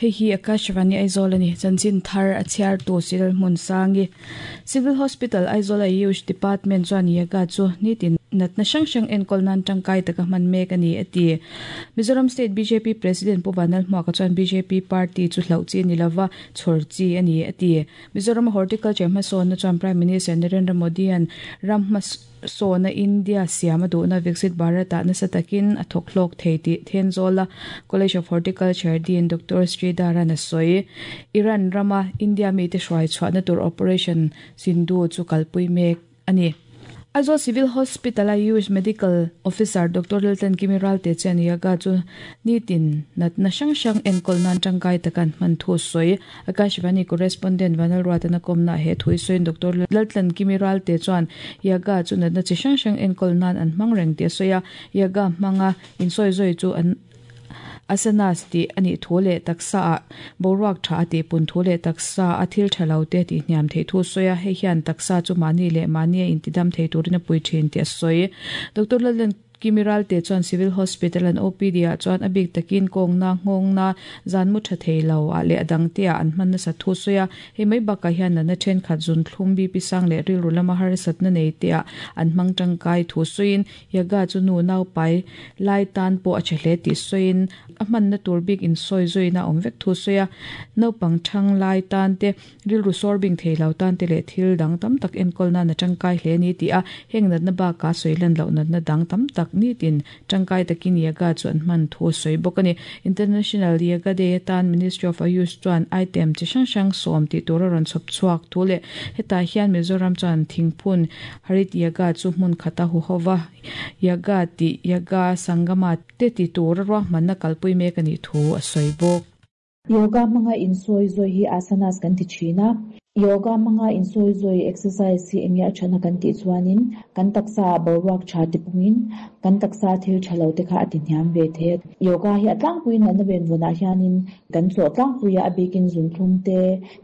Hei hi Akashvani Aizawl a ni. Chanchin thar a chhiartu Cyril Hmunsangi. Civil Hospital Aizawl Ayush Department chuan Yoga chu nitin natna hrang hrang enkawl nan tangkai taka hman mek a ni a ti. Mizoram State bjp President Pu Vanlalhmuaka chuan bjp party chu hlauh chi a ni lova, chhawr chi a ni a ti. Mizoram Horticulture hmasawnna chuan Prime Minister Narendra Modi-a'n ram hmasawna India siam a duhna Viksit Bharat-ah nasa takin a thawk hlawk thei tih Thenzawla College of Horticulture Dean Doctor Sridharan a sawi. Iran rama India mite hruai chhuahna tur Operation Sindhu chu kalpui mek a ni. Aizawl Civil Hospital-a Youth Medical Officer Doctor Laltlan Kimi Ralte chuan Yoga chu nitin natna hrang hrang enkawl nan tangkai taka an hman thu a sawi. Akashvani Correspondent Vanlalruatana kawmnaah he thu i sawiin Doctor Laltlan Kimi Ralte chuan Yoga chu natna chi hrang hrang enkawl nan an hmang reng tih a sawi a, Yoga hmanga insawizawi chu an Asanas tih a nih thu leh taksa ah boruak tha a tih pun thu leh taksa a thil tha lo te tih hniam theih thu a sawi a, hei hian taksa chu mahni leh mahni a intidam thei turin a pui thin tih a sawi. Doctor Lallen Kimiralte chuan Civil Hospital an OPD ah chuan a bik takin kawngna, nghawngna, zan mu tha thei lo ah leh a dang te ah an hman nasa thu a sawi a, hei mai bakah hian natna thenkhat zunthlum, BP sang leh rilru lama harsatna nei te ah an hmang tangkai thu sawiin Yoga chu nu naupai lai tan pawh a tha hle tih sawiin a hmanna tur bik insawi zuina a awm vek thu sawi a. Naupang thang lai tan te, rilru sawr bing thei lo tan te leh thil dang tam tak enkawl nan a tangkai hle a ni tih a, heng natna bakah sawi lan loh natna dang tam tak nitin tangkai takin Yoga chu an hman thu a sawi bawk a ni. International Yoga Day atan Ministry of Ayush chuan item chi hrang hrang sawm tih tur a rawn chhawp chhuak thu leh hetah hian Mizoram chuan thingphun Harit Yaga chu hmun khata huhova Yaga tih Yaga Sangama te ti tura ruahmanna kalpui mek a nih thu a sawi bawk. Yoga hmanga insawi zawi hi asanas kan ti thin a. Yoga hmanga insawi zawi exercise hi enge a thana kan tih chuanin kan taksa ah boruak tha ti pungin kan taksa thil tha lo te kha a ti hniam ve thei a. Yoga hi a tlangpuiin natna venvawnah hianin kan chawh tlangpui a, a bikin zunthlum te,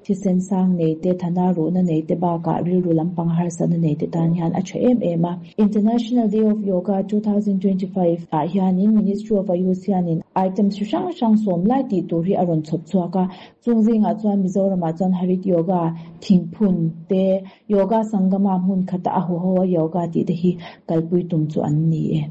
Thisen sang nei te, thana ruhna nei te bakah rilru lampang harsatna nei te tan hian a tha em em a. International Day of Yoga 2025 ah hianin Ministry of Ayush hianin items hri hrang hrang sawm lai tih tur hi a rawn chhawp chhuak a. Chung zingah chuan Mizoramah chuan Harit Yoga, Thingphun te, Yoga Sangama hmun khata a huho a yoga tih te hi kalpui tum chu an ni e.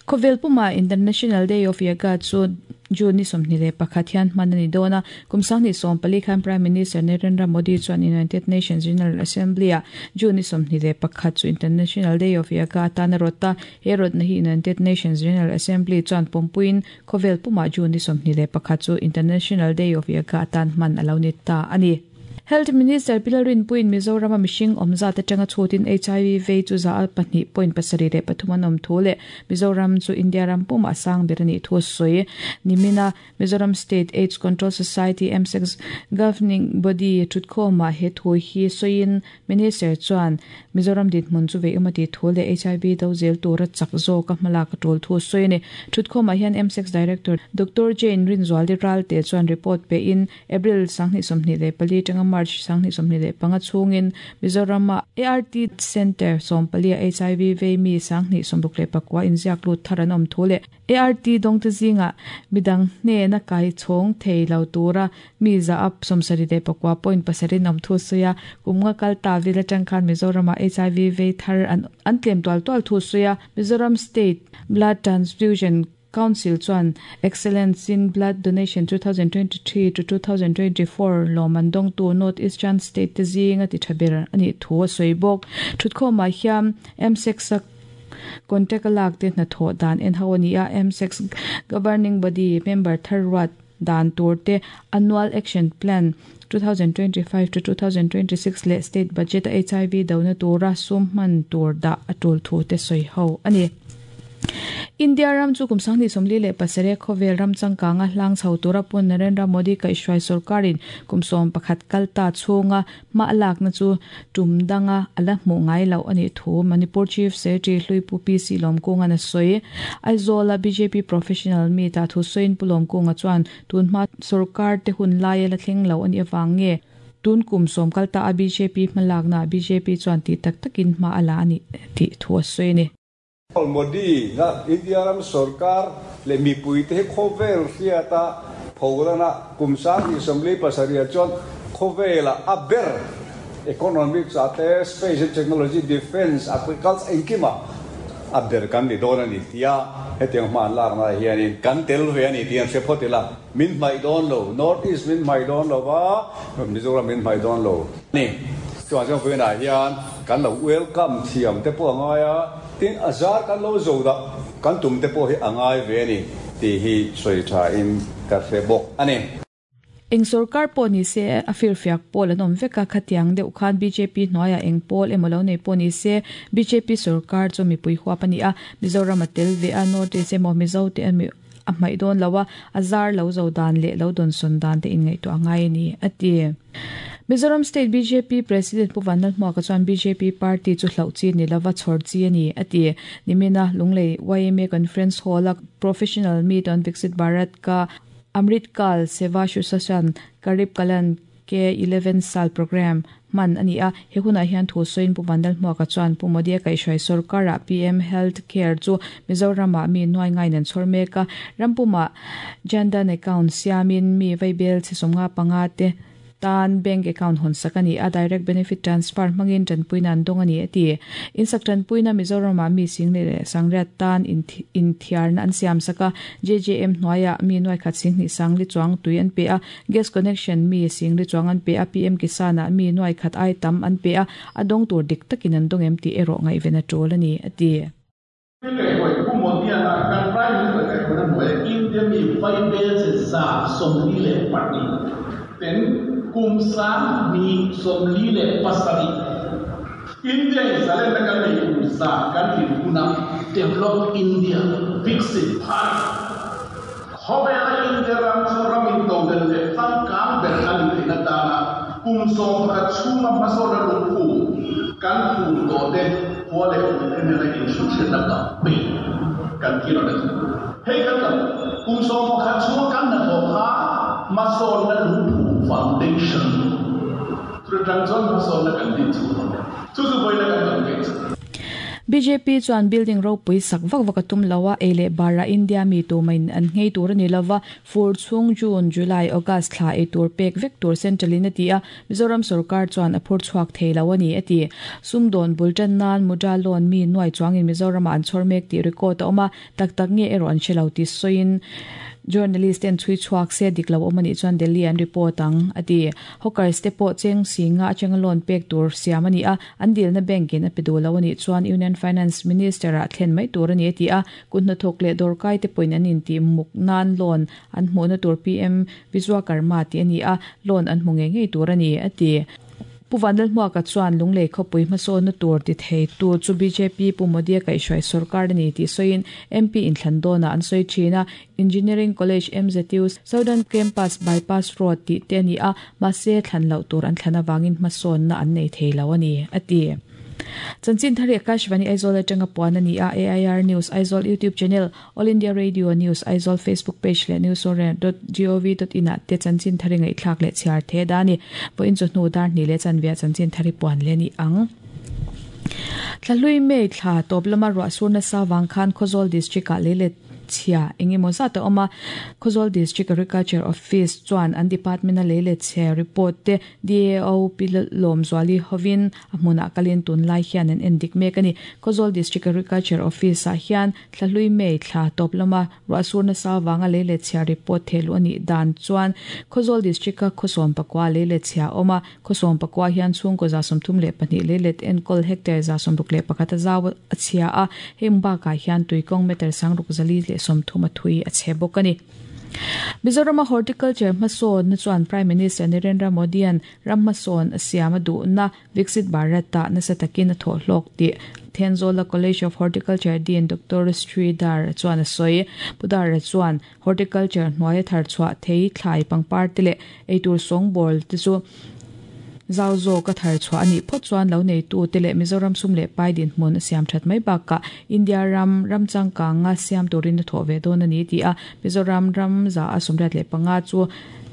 Khawvel puma International Day of Yoga chu June ni 21 hian hman a ni dawn a. Kum 2014 khan Prime Minister Narendra Modi chuan United Nations General Assembly-ah June ni 21 chu International Day of Yoga atan a rawt a. He rawtna hi United Nations General Assembly chuan pawmpuiin khawvel pumah June ni 21 chu International Day of Yoga atan hman a lo ni ta a ni. Health Minister Pi Lalrinpuiin Mizorama mihring awm zat atanga chhutin hiv vei chu za a pahnih point pasarih leh pathum an awm thu leh Mizoram chu India ram pumah a sang ber a nih thu a sawi. Nimina Mizoram State Aids Control Society, MSACS, Governing Body thutkhawmah he thu hi sawiin Minister chuan Mizoram dinhmun chu veiawm a tih thu leh hiv do zel tura chak zawka hmalak a tul thu a sawi a ni. Thutkhawmah hian MSACS Director Doctor Jane Rinzuali Ralte chuan report pein April 2024 atanga March 2025 chhungin Mizoram-a ART Centre 14 a hiv vei mi 2069 inziak lut thar an awm thu leh ART dawngte zingah midang hnena kai chhawng thei lo tura mi za up 74 point pasarih an awm thu a sawi a. Kum nga kal ta vil atang khan Mizoram-ah hiv vei thar an tlem tual tual thu a sawi a. Mizoram State Blood Transfusion Council chuan Excellence in Blood Donation 2023 to 2024 lawm an dawngtu North Eastern State te zinga ti tha ber a nih thu a sawi bawk. Thutkhawmah hian MSEC-a contact a lak te hnathawh dan en ho a ni a, MSEC Governing Body member thar ruat dan tur te Annual Action Plan 2025 to 2026 leh State Budget a hiv dona tura sum hman tur dah a tul thu te sawi ho a ni. India ram chu kum 2047 khawvel ram changkanga hlang chho tura pun Narendra Modi kaihhruai sorkarin kum 11 kal ta chhunga hma a lakna chu tum danga a la hmuh ngai loh a nih thu Manipur Chief Secretary Hluipu PC Lawmkunga'n a sawi. Aizawla bjp Professional Meet ah thu sawiin Pu Lawmkunga chuan tunhma sorkar te hun laia la thleng lo a nih avang nge tun kum sawm kal ta a bjp hmalakna ah bjp chuan tih tak takin hma a la a nih tih thu a sawi a ni. Modi na India ram sorkar leh mipuite hi khawvel hriata pholana kum 2027 ah chuan khawvela a ber economics ah te, space and technology, defence, agriculture engkima a ber kan ni dawn a ni tia hetiang hma an lakna ah hianin kan tel ve a ni tih an hre phawt ila, min hmaih dawn lo, North East min hmaih dawn lo va, Mizoram min hmaih dawn lo a ni. Chuvang chuan vawiinah hian kan lo welcome thiam te pawh a ngai a, tin a zar kan lo zo dah kan tum te pawh hi a ngai ve a ni tih hi sawi thain ka hre bawk a ni. Eng sorkar pawh ni se, a firfiak pawl an awm vek a, khatiang deuh khan bjp hnuaiah eng pawl emaw lo nei pawh ni se, bjp sorkar chu mipui huap a ni a, Mizoram a tel ve a, North East emaw Mizo te emaw a hmaih dawn lo a, a zar lo zo dan leh lo dawnsawn dan te inngaihtuah a ngai a ni, a ti. Mizoram State bjp President Pu Vanlalhmuaka chuan bjp party chu hlauh chi ni lova chhawr chi a ni, a ti. Nimina Lunglei yma Conference Hall-a Professional Meet on Viksit Bharat ka Amrit Kaal Seva Shusashan Garib Kalyan Ke 11 Saal Programme hman a ni a. He hunah hian thu sawiin Pu Vanlalhmuaka chuan Pu Modi-a kaihhruai sorkarah PM Health Care chu Mizoramah mi nuai ngaiin an chhawr mek a. Rampumah Jan Dhan Account siamin mi vaibel chhe 55 te tan bank account hawn sak a ni a, direct benefit transfer hmangin tanpuina an dawng a ni a ti. Insak tanpuina Mizoramah mi sing leh sangriat tan inthiarna an siam sak a, JJM hnuaiah mi nuaikhat singhnih sangli chuang tui an pe a, gas connection mi singli chuang an pe a, PM Kisan-ah mi nuaikhat ai tam an pe a, a dawng tur dik takin an dawng em tih erawh ngaihven a tul a ni a ti. Kaihhruai Pu Modi-a kan Prime Minister kaihhruaina hnuaia India mi vaibelche 142 ten kum 2047 India in zalenna kan nei kum za kan tlin huna Develop India, Viksit Bharat, khawvela India ram chu ram intodelh leh changkang ber a ni theihna tana kum 11 chhunga hmasawnna lungphum kan phum tawh te khua leh tui te nena inhruhriatna campaign kan ti rawn a ni. Hei kan kan kum 11 chhunga kan hnathawh kha hmasawnna lungphum foundation chu atang chuan hmasawnna kan din chho dawn a, chu chu vawiina kan campaign chu. Bjp chuan building ropui sak vak vak a tum lo a, ei leh barah India mi tumain an nghei tur a ni lo va, fur chhung June, July, August thla ei tur pek vek tur Central in a ti a, Mizoram sorkar chuan a phur chhuak thei lo a ni, a ti. Sumdawn bul tan nan Mudra loan mi nuai chuangin Mizoramah an chhawr mek tih record a awm a, tak tak nge erawh an hre lo tih sawiin journalist ten chhui chhuak se dik lo awm a nih chuan Delhi an report ang, a ti. Hawkers te pawh cheng singa atanga loan pek tur siam a ni a, an dilna bank in a pe duh lo a nih chuan Union Finance Minister ah thlen mai tur a ni a ti a, kut hnathawk leh dawrkai te pawhin an intih muk nan loan an hmuhna tur PM Vishwakarma tih a ni a, loan an hmu ngei ngei tur a ni, a ti. Pu Vanlalhmuaka chuan Lunglei khawpui hmasawnna tur ti theitu chu bjp Pu Modi-a kaihhruai sorkar a ni tih sawiin MP inthlan dawnah an sawi thin a, Engineering College MZU Southern Campus Bypass Road tih te a ni a, mahse thlan loh tur an thlan avangin hmasawnna an nei thei lo a ni, a ti. Chanchin thar hi Akashvani Aizawl atanga puan a ni a, AIR News Aizawl YouTube Channel, All India Radio News Aizawl Facebook Page leh newsorel dot gov dot in ah te chanchin thar i ngaihthlak leh chhiar the da a ni. Vawiin chawhnu dar hnih leh chanve ah chanchin thar i puan leh a ni ang. Thlahlui May thla tawp lama ruah sur nasa vang khan Khawzawl District ah lei let chhia eng emaw zat a awm a, Khawzawl District Agriculture Office chuan an department a lei let chhe report te DAO Pi Lawmzuali hovin a hmunah kalin tunlai hian an en dik mek a ni. Khawzawl District Agriculture Office ah hian Thlahlui May thla tawp lama ruahsur nasa avanga lei let chhia report thehluh a nih dan chuan Khawzawl District a khawsawm pakua lei let chhia a awm a, khawsawm pakua hian chhungkaw 32 lei let enkawl hectare 61 a zau a chhia a, heng bakah hian tuikawng meter 6430 a thui a chhe bawk a ni. Mizorama Horticulture hmasawnna chuan Prime Minister Narendra Modi-a'n ram hmasawn a siam a duhna Viksit Bharat-ah nasa takin a thawhhlawk tih Thenzawla College of Horticulture Dean Doctor Sridhar chuan a sawi. Pu Dara chuan Horticulture hnuaia thar chhuah thei thlai pangpar te leh eitur sawngbawl te chu zau zawka thar chhuah a nih phawt chuan lo neitu te leh Mizoram sum leh pai dinhmun a siam that mai bakah India ram ram changkanga siam turin a thawh ve dawn a ni tih a Mizoram ram za a 75 chu.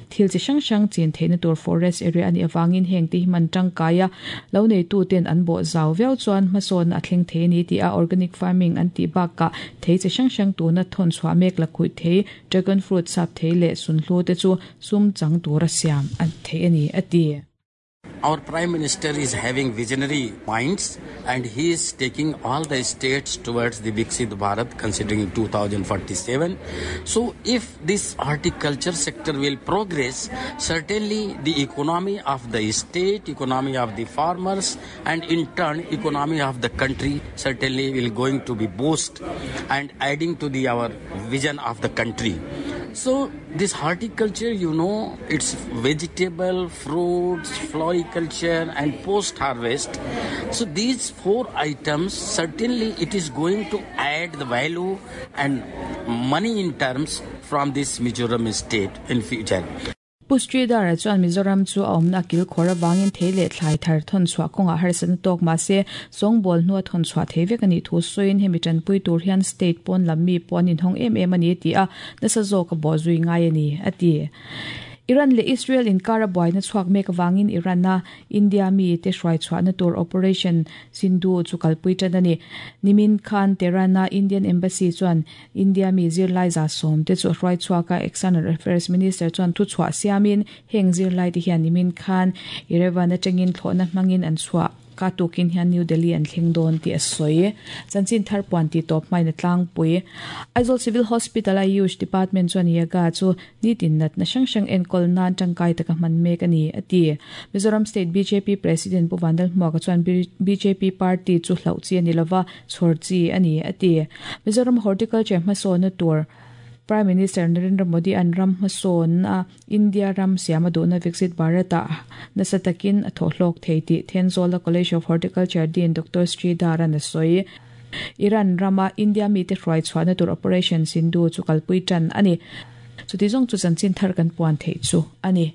Thil chi hrang hrang chin theihna tur forest area a nih avangin heng te hi hman tangkai a, lo neitu ten an bawh zau viau chuan hmasawnna a thleng thei a ni tih a organic farming an tih bakah thei chi hrang hrang tuna thawn chhuah mek la khuih thei, dragon fruit sap thei leh sunhlu te chu sum chang tura siam a theih a ni a ti. Our Prime Minister is having visionary minds and he is taking all the states towards the Viksit Bharat considering 2047. So if this horticulture sector will progress, certainly the economy of the state, economy of the farmers and in turn economy of the country certainly will going to be boost and adding to the our vision of the country. So this horticulture, you know, it's vegetable, fruits, floriculture and post-harvest. So these four items, certainly it is going to add the value and money in terms from this Mizoram state in future. Pu Sridhar-a chuan Mizoram chu a awmna a kilkhawr avangin thei leh thlai thar thawn chhuah kawngah harsatna tawk mahse sawngbawl hnua thawn chhuah thei vek a nih thu sawiin hemi tanpui tur hian state pawn lam mi pawh an inhawng em em a ni tih a nasa zawk a bawh zui ngai a ni, a ti. Iran leh Israel inkara buaina chhuak mek avangin Iran-a India mite hruai chhuahna tur Operation Sindhu chu kalpui tan a ni. Nimin khan Tehran-a Indian Embassy chuan India mi zirlai 110 te chu a hruai chhuak a, External Affairs Minister chuan thuchhuah siamin heng zirlai te hian nimin khan Yerevan atangin thlawhna hmangin an chhuah ka tukin hian New Delhi an thleng dawn tih a sawi. Chanchin thar puan tih tawp hmain a tlangpui. Aizawl Civil Hospital a Ayush Department chuan Yoga chu nitin natna hrang hrang enkawl nan tangkai taka hman mek a ni, a ti. Mizoram State bjp President Pu Vanlalhmuaka chuan bjp party chu hlauh chi a ni lova, chhawr chi a ni, a ti. Mizoram Horticulture hmasawnna tur Prime Minister Narendra Modi an ram hmasawnna India ram siam a duhna Viksit Bharat-ah nasa takin a thawhhlawk thei tih Thenzawla College of Horticulture Dean Doctor Sridharan a sawi. Iran rama India mite hruai chhuahna tur Operation Sindhu chu kalpui tan a ni. Chuti zawng chu chanchin thar kan puan theih chu a ni.